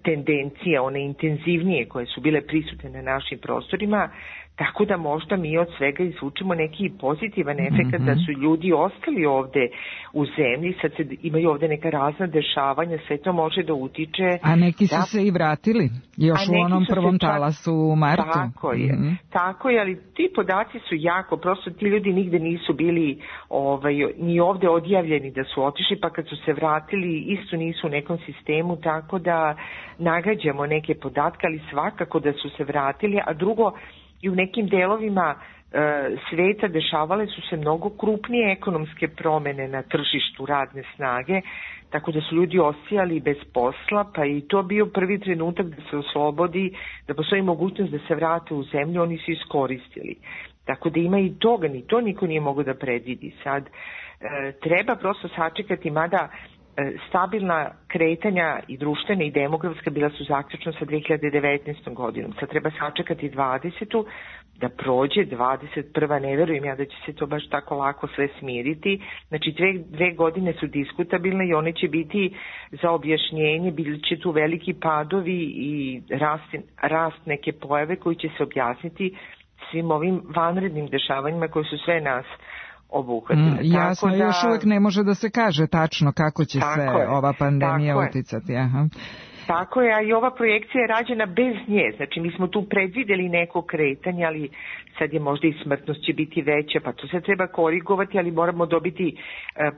S20: tendencije, one intenzivnije koje su bile prisutne na našim prostorima, tako da možda mi od svega izvučemo neki pozitivan efekt, mm-hmm. da su ljudi ostali ovde u zemlji, sad se imaju ovde neka razna dešavanja, sve to može da utiče.
S3: A neki su
S20: da,
S3: se i vratili, još u onom prvom čak, talasu u martu.
S20: Tako je, mm-hmm. tako je, ali ti podaci su jako, prosto ti ljudi nigde nisu bili ovaj, ni ovde odjavljeni da su otišli, pa kad su se vratili isto nisu u nekom sistemu, tako da nagađamo neke podatke, ali svakako da su se vratili, a drugo, i u nekim delovima e, sveta dešavale su se mnogo krupnije ekonomske promene na tržištu radne snage, tako da su ljudi ostajali bez posla, pa i to bio prvi trenutak da se oslobodi, da postoji mogućnost da se vrate u zemlju, oni su iskoristili. Tako da ima i toga, ni to niko nije mogao da predvidi. Sad e, treba prosto sačekati, mada stabilna kretanja i društvena i demografska bila su zaključno sa dve hiljade devetnaestom. godinom. Sad treba sačekati dvadesetu da prođe, dvadeset prva. ne verujem ja da će se to baš tako lako sve smiriti. Znači dve, dve godine su diskutabilne i one će biti za objašnjenje, bili će tu veliki padovi i rast, rast neke pojave koji će se objasniti svim ovim vanrednim dešavanjima koji su sve nas obuhvatile.
S3: Mm, jasno,
S20: tako da,
S3: još uvek ne može da se kaže tačno kako će sve
S20: je,
S3: ova pandemija uticati. Aha.
S20: Tako je, a i ova projekcija je rađena bez nje. Znači, mi smo tu predvideli neko kretanje, ali sad je možda i smrtnost će biti veća, pa to se treba korigovati, ali moramo dobiti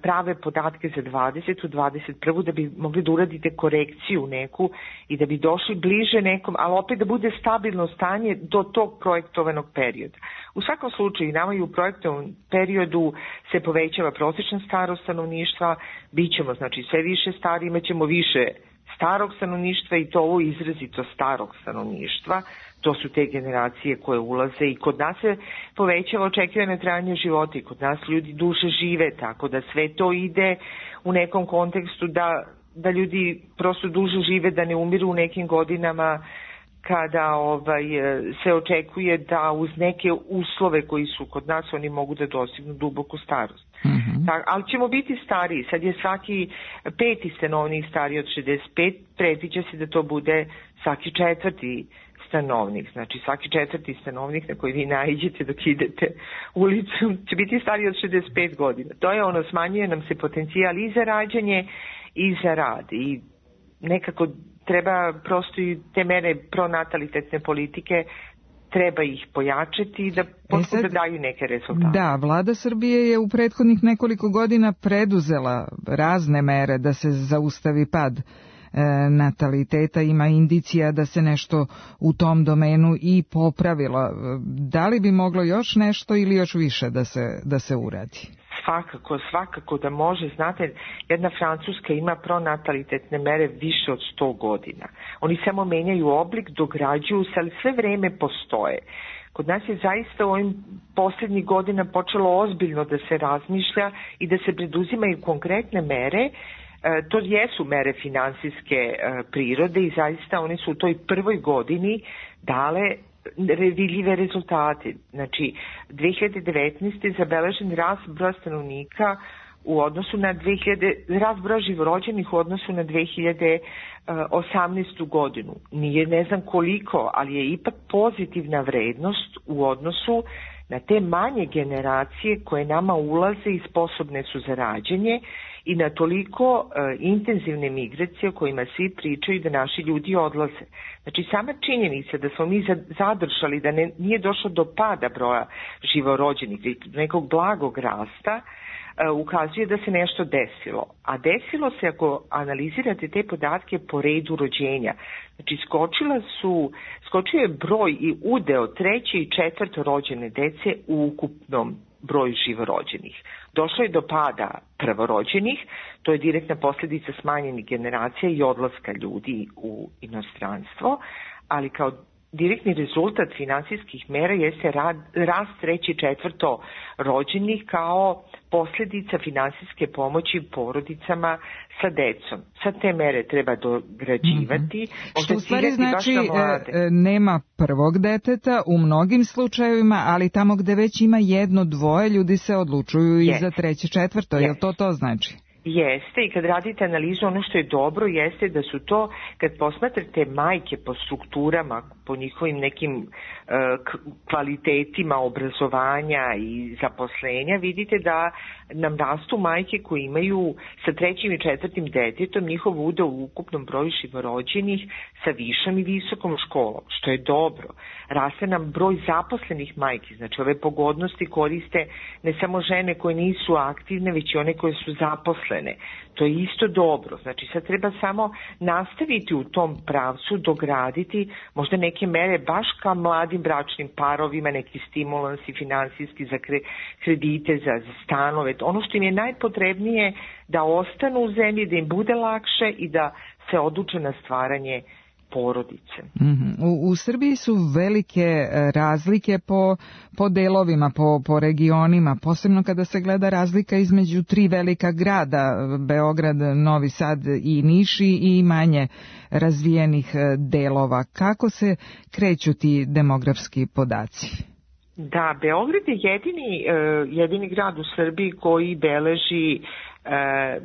S20: prave podatke za dvadesetu. dvadeset prvu. da bi mogli da uradite korekciju neku i da bi došli bliže nekom, ali opet da bude stabilno stanje do tog projektovanog perioda. U svakom slučaju, nama i u projektovanom periodu se povećava prosječna starost stanovništva, bit ćemo znači sve više stari, imat ćemo više starog stanovništva i to ovo izrazito starog stanovništva. To su te generacije koje ulaze i kod nas se povećava očekivano trajanje života i kod nas ljudi duže žive, tako da sve to ide u nekom kontekstu da, da ljudi prosto duže žive, da ne umiru u nekim godinama. kada ovaj, se očekuje da uz neke uslove koji su kod nas oni mogu da dostignu duboku starost. Mm-hmm. Ta, ali ćemo biti stariji. Sad je svaki peti stanovnik stariji od šezdeset pet, predviđa se da to bude svaki četvrti stanovnik. Znači svaki četvrti stanovnik na koji vi naiđete dok idete ulicu će biti stariji od šezdeset pet godina. To je ono, smanjuje nam se potencijal i za rađanje i za rad. I nekako treba prosto i te mere pronatalitetne politike, treba ih pojačati da potpuno da daju neke rezultate.
S3: Da, vlada Srbije je u prethodnih nekoliko godina preduzela razne mere da se zaustavi pad e, nataliteta. Ima indicija da se nešto u tom domenu i popravilo. Da li bi moglo još nešto ili još više da se, da se uradi?
S20: Svakako, svakako da može. Znate, jedna Francuska ima pronatalitetne mere više od sto godina. Oni samo menjaju oblik, dograđuju se, ali sve vreme postoje. Kod nas je zaista u ovim posljednjih godina počelo ozbiljno da se razmišlja i da se preduzimaju konkretne mere. E, to jesu mere finansijske e, prirode i zaista oni su u toj prvoj godini dale vidljive rezultate. Znači, dve hiljade devetnaeste. je zabeležen rast broja stanovnika u odnosu na dve hiljade, rast broja živorođenih u odnosu na dve hiljade osamnaestu. godinu. Nije ne znam koliko, ali je ipak pozitivna vrednost u odnosu na te manje generacije koje nama ulaze i sposobne su za rađanje i na toliko uh, intenzivne migracije o kojima svi pričaju da naši ljudi odlaze. Znači, sama činjenica da smo mi zadržali, da ne, nije došlo do pada broja živorođenih, nekog blagog rasta, uh, ukazuje da se nešto desilo. A desilo se, ako analizirate te podatke po redu rođenja, znači skočila su, skočio je broj i udeo treće i četvrto rođene dece u ukupnom broju živorođenih. Došlo je do pada prvorođenih, to je direktna posljedica smanjenih generacija i odlaska ljudi u inostranstvo, ali kao direktni rezultat finansijskih mera jeste rad, rast treće i četvrto rođenih kao posljedica finansijske pomoći porodicama sa decom. Sad te mere treba dograđivati.
S3: Mm-hmm. Što u stvari znači e, nema prvog deteta u mnogim slučajevima, ali tamo gde već ima jedno, dvoje, ljudi se odlučuju yes. i za treće, četvrto. Yes. Jel to to znači?
S20: Jeste, i kad radite analizu, ono što je dobro jeste da su to, kad posmatrate majke po strukturama, po njihovim nekim uh, kvalitetima obrazovanja i zaposlenja, vidite da nam rastu majke koji imaju sa trećim i četvrtim detetom njihov udeo u ukupnom broju živorođenih sa višom i visokom školom, što je dobro. Raste nam broj zaposlenih majki, znači ove pogodnosti koriste ne samo žene koje nisu aktivne, već i one koje su zaposlene. To je isto dobro. Znači sad treba samo nastaviti u tom pravcu, dograditi možda neke mere baš ka mladim bračnim parovima, neki stimulansi finansijski za kredite, za, za stanove. Ono što im je najpotrebnije da ostanu u zemlji, da im bude lakše i da se odluče na stvaranje porodice.
S3: Mm-hmm. U, u Srbiji su velike razlike po, po delovima, po, po regionima, posebno kada se gleda razlika između tri velika grada, Beograd, Novi Sad i Niš i manje razvijenih delova. Kako se kreću ti demografski podaci?
S20: Da, Beograd je jedini, jedini grad u Srbiji koji beleži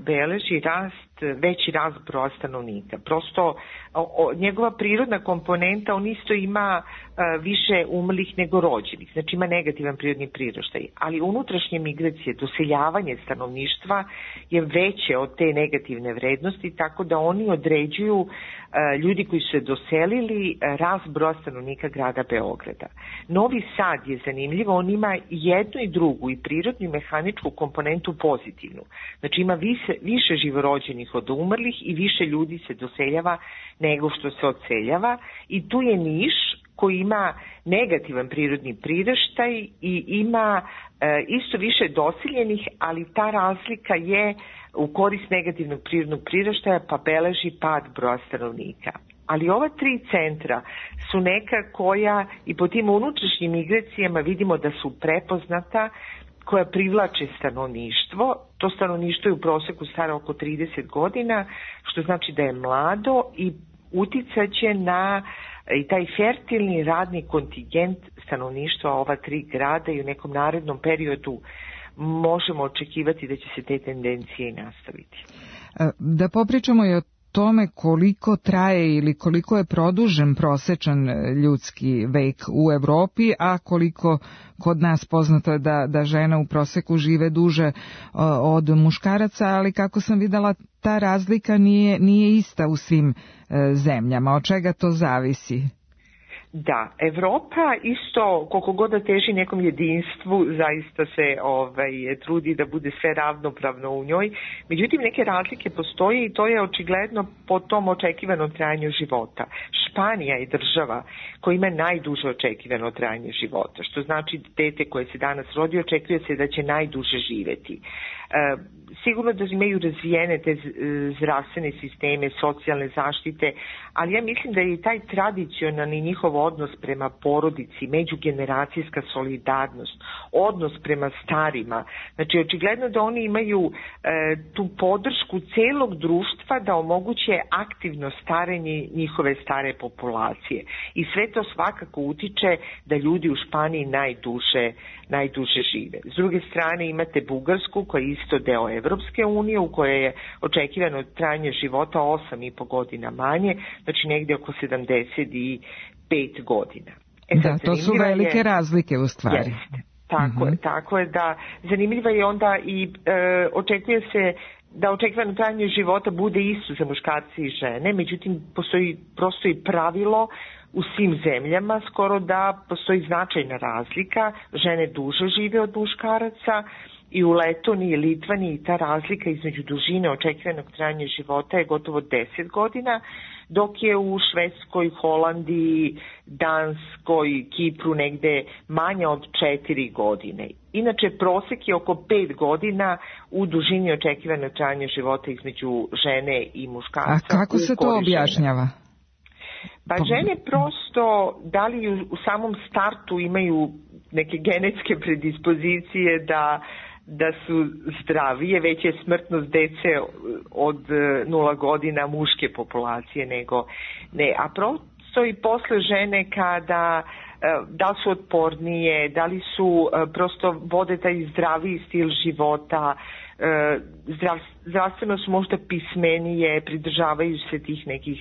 S20: beleži rast, veći rast broja stanovnika. Prosto o, o, njegova prirodna komponenta, on isto ima a, više umrlih nego rođenih, znači ima negativan prirodni priraštaj, ali unutrašnje migracije, doseljavanje stanovništva je veće od te negativne vrednosti, tako da oni određuju a, ljudi koji su se doselili a, rast broja stanovnika grada Beograda. Novi Sad je zanimljivo, on ima jednu i drugu, i prirodnu i mehaničku komponentu pozitivnu. Znači ima više, više živorođenih od umrlih i više ljudi se doseljava nego što se odseljava, i tu je Niš koji ima negativan prirodni priraštaj i ima e, isto više doseljenih, ali ta razlika je u korist negativnog prirodnog priraštaja, pa beleži pad broja stanovnika. Ali ova tri centra su neka koja i po tim unutrašnjim migracijama vidimo da su prepoznata, koja privlače stanovništvo. To stanovništvo je u proseku staro oko trideset godina, što znači da je mlado i uticaće na i taj fertilni radni kontingent stanovništva ova tri grada i u nekom narednom periodu možemo očekivati da će se te tendencije i nastaviti.
S3: Da popričamo i o tome koliko traje ili koliko je produžen prosečan ljudski vek u Evropi, a koliko kod nas poznato je da, da žena u proseku žive duže od muškaraca, ali kako sam videla, ta razlika nije, nije ista u svim zemljama. Od čega to zavisi?
S20: Da, Evropa isto, koliko god da teži nekom jedinstvu, zaista se ovaj, trudi da bude sve ravnopravno u njoj. Međutim, neke razlike postoje i to je očigledno po tom očekivanom trajanju života. Španija je država koja ima najduže očekivano trajanje života, što znači dete koje se danas rodi očekuje se da će najduže živeti. E, sigurno da imaju razvijene te zdravstvene sisteme, socijalne zaštite, ali ja mislim da je i taj tradicionalni njihov odnos prema porodici, međugeneracijska solidarnost, odnos prema starima. Znači, očigledno da oni imaju e, tu podršku celog društva da omoguće aktivno starenje njihove stare populacije. I sve to svakako utiče da ljudi u Španiji najduže, najduže žive. S druge strane imate Bugarsku koja je isto deo Evropske unije u kojoj je očekivano trajanje života osam i po godina manje, znači negdje oko sedamdeset pet godina. E sad,
S3: da, to su velike je, razlike u stvari.
S20: Jeste, tako,
S3: uh-huh.
S20: je, tako je da zanimljiva je onda i e, očekuje se da očekivano trajanje života bude isto za muškarce i žene, međutim postoji prosto i pravilo u svim zemljama skoro da postoji značajna razlika, žene duže žive od muškaraca i u Letoniji i Litvaniji ta razlika između dužine očekivanog trajanja života je gotovo deset godina, dok je u Švedskoj, Holandiji, Danskoj, Kipru negde manje od četiri godine. Inače, prosek je oko pet godina u dužini očekivanog trajanja života između žene i muškarca.
S3: A kako se to objašnjava?
S20: Pa žene prosto, da li u samom startu imaju neke genetske predispozicije da da su zdravije, već je smrtnost dece od nula godina muške populacije nego ne, a prosto i posle žene kada da li su otpornije, da li su prosto vode taj zdraviji stil života, zdrav, zdravstveno su možda pismenije, pridržavaju se tih nekih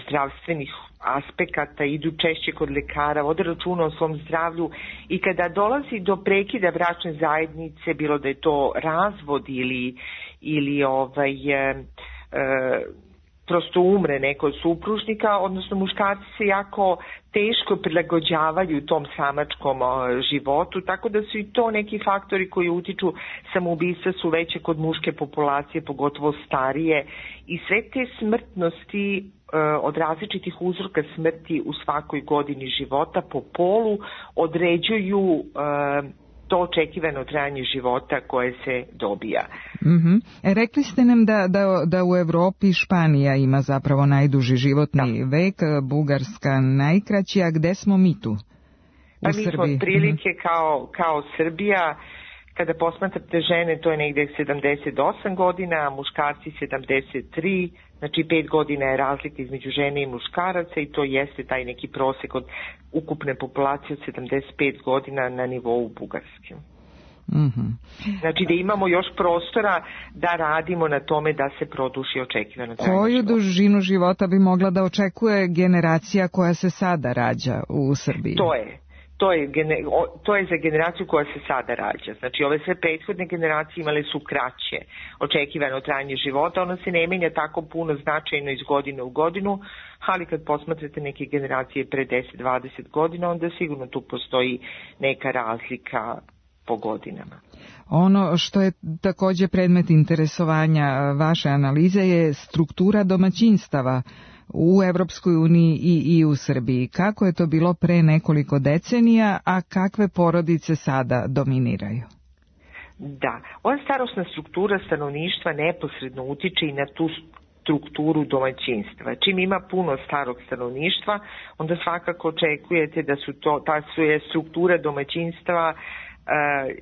S20: zdravstvenih aspekata, idu češće kod lekara, vode računa o svom zdravlju i kada dolazi do prekida bračne zajednice, bilo da je to razvod ili, ili ovaj, e, e, prosto umre neko od supružnika, odnosno muškarci se jako teško prilagođavaju tom samačkom životu, tako da su i to neki faktori koji utiču, samoubistva su veće kod muške populacije, pogotovo starije, i sve te smrtnosti od različitih uzroka smrti u svakoj godini života po polu određuju to očekivano trajanje života koje se dobija.
S3: Mm-hmm. E, rekli ste nam da, da, da u Evropi Španija ima zapravo najduži životni da. vek, Bugarska najkraći, a gde smo mi tu? U
S20: pa mi smo otprilike mm-hmm. kao, kao Srbija. Kada posmatrate žene, to je negde sedamdeset osam godina, a muškarci sedamdeset tri, znači pet godina je razlika između žene i muškaraca i to jeste taj neki prosek od ukupne populacije od sedamdeset pet godina na nivou Bugarske.
S3: Mm-hmm.
S20: Znači da imamo još prostora da radimo na tome da se produši očekivano trajanje
S3: Koju
S20: života.
S3: dužinu života bi mogla da očekuje generacija koja se sada rađa u Srbiji?
S20: To je. To je, to je za generaciju koja se sada rađa. Znači, ove sve prethodne generacije imale su kraće očekivano trajanje života. Ono se ne menja tako puno značajno iz godine u godinu, ali kad posmatrate neke generacije pre deset dvadeset godina, onda sigurno tu postoji neka razlika po godinama.
S3: Ono što je takođe predmet interesovanja vaše analize je struktura domaćinstava u Evropskoj uniji i, i u Srbiji. Kako je to bilo pre nekoliko decenija, a kakve porodice sada dominiraju?
S20: Da, ova starosna struktura stanovništva neposredno utiče i na tu strukturu domaćinstva. Čim ima puno starog stanovništva, onda svakako očekujete da su to, ta su je struktura domaćinstva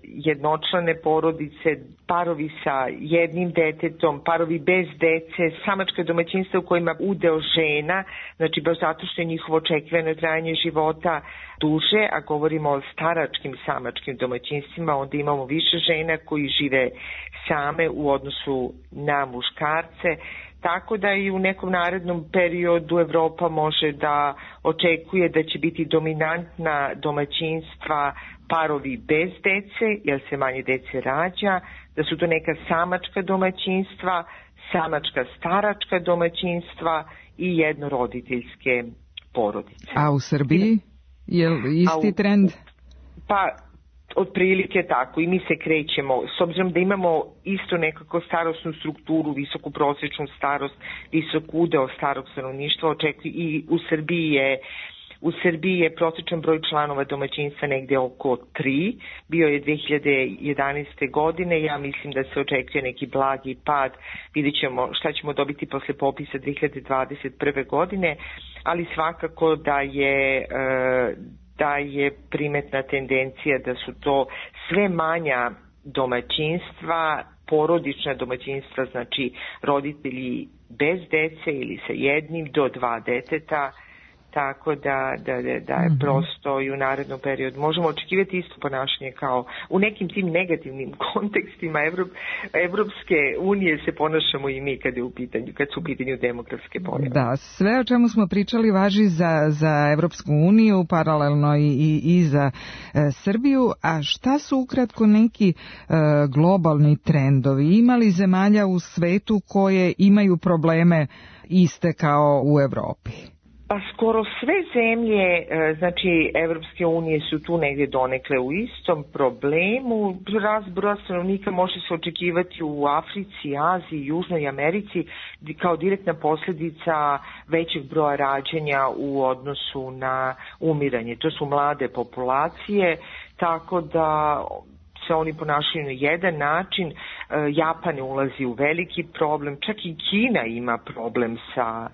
S20: jednočlane porodice, parovi sa jednim detetom, parovi bez dece, samačka domaćinstva u kojima udeo žena, znači baš zato što je njihovo očekivano trajanje života duže, a govorimo o staračkim samačkim domaćinstvima, onda imamo više žena koji žive same u odnosu na muškarce, tako da i u nekom narednom periodu Evropa može da očekuje da će biti dominantna domaćinstva parovi bez dece, jer se manje dece rađa, da su to neka samačka domaćinstva, samačka staračka domaćinstva i jednoroditeljske porodice.
S3: A u Srbiji je li isti trend?
S20: Pa, otprilike tako i mi se krećemo, s obzirom da imamo isto nekako starosnu strukturu, visoku prosječnu starost, visok udeo starog stanovništva, očekuje i u Srbiji je U Srbiji je prosječan broj članova domaćinstva negde oko tri, bio je dve hiljade jedanaeste. godine, ja mislim da se očekuje neki blagi pad, vidjet ćemo šta ćemo dobiti posle popisa dve hiljade dvadeset prve. godine, ali svakako da je, da je primetna tendencija da su to sve manja domaćinstva, porodična domaćinstva, znači roditelji bez dece ili sa jednim do dva deteta, tako da, da, da je mm-hmm. prosto i u narednom periodu možemo očekivati isto ponašanje kao u nekim tim negativnim kontekstima Evrop, Evropske unije se ponašamo i mi kad, je u pitanju, kad su u pitanju demografske pojave.
S3: Da, sve o čemu smo pričali važi za, za Evropsku uniju, paralelno i, i, i za e, Srbiju, a šta su ukratko neki e, globalni trendovi? Ima li zemalja u svetu koje imaju probleme iste kao u Evropi?
S20: Pa skoro sve zemlje, znači Evropske unije su tu negdje donekle u istom problemu. Rast broja stanovnika može se očekivati u Africi, Aziji, Južnoj Americi kao direktna posljedica većeg broja rađanja u odnosu na umiranje. To su mlade populacije, tako da se oni ponašaju na jedan način. Japan ulazi u veliki problem, čak i Kina ima problem sa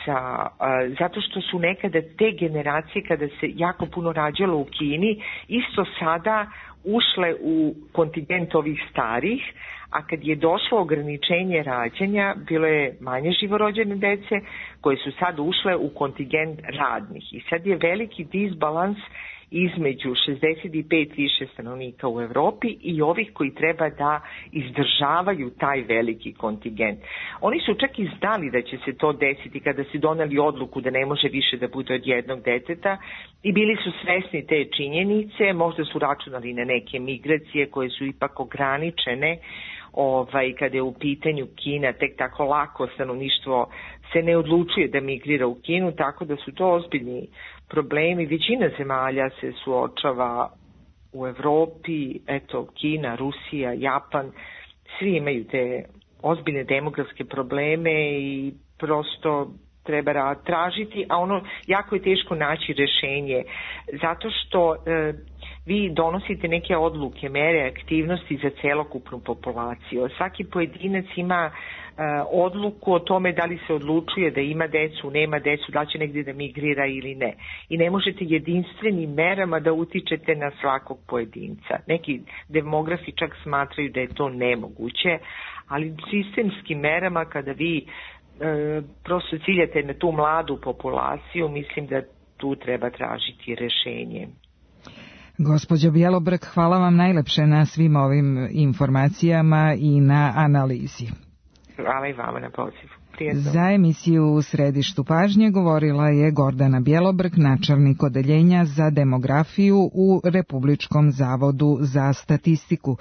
S20: Sa, uh, zato što su nekada te generacije kada se jako puno rađalo u Kini isto sada ušle u kontingent ovih starih, a kad je došlo ograničenje rađanja bilo je manje živorođene dece koje su sad ušle u kontingent radnih i sad je veliki disbalans između šezdeset pet više stanovnika u Evropi i ovih koji treba da izdržavaju taj veliki kontingent. Oni su čak i znali da će se to desiti kada su doneli odluku da ne može više da bude od jednog deteta i bili su svesni te činjenice, možda su računali na neke migracije koje su ipak ograničene. Ovaj, kada je u pitanju Kina, tek tako lako stanovništvo se ne odlučuje da migrira u Kinu, tako da su to ozbiljni problemi. Većina zemalja se suočava u Evropi, eto Kina, Rusija, Japan, svi imaju te ozbiljne demografske probleme i prosto treba tražiti, a ono jako je teško naći rešenje, zato što e, vi donosite neke odluke, mere, aktivnosti za celokupnu populaciju. Svaki pojedinac ima e, odluku o tome da li se odlučuje da ima decu, nema decu, da će negdje da migrira ili ne. I ne možete jedinstvenim merama da utičete na svakog pojedinca. Neki demografi čak smatraju da je to nemoguće, ali sistemskim merama kada vi E, prosto ciljate na tu mladu populaciju, mislim da tu treba tražiti rešenje.
S3: Gospođo Bjelobrk, hvala vam najlepše na svim ovim informacijama i na analizi.
S20: Hvala i vama na pozivu.
S3: Za emisiju U središtu pažnje govorila je Gordana Bjelobrk, načelnik odeljenja za demografiju u Republičkom zavodu za statistiku.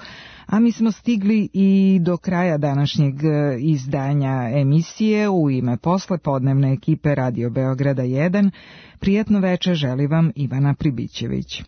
S3: A mi smo stigli i do kraja današnjeg izdanja emisije. U ime poslepodnevne ekipe Radio Beograda jedan, prijatno veče želi vam Ivana Pribićević.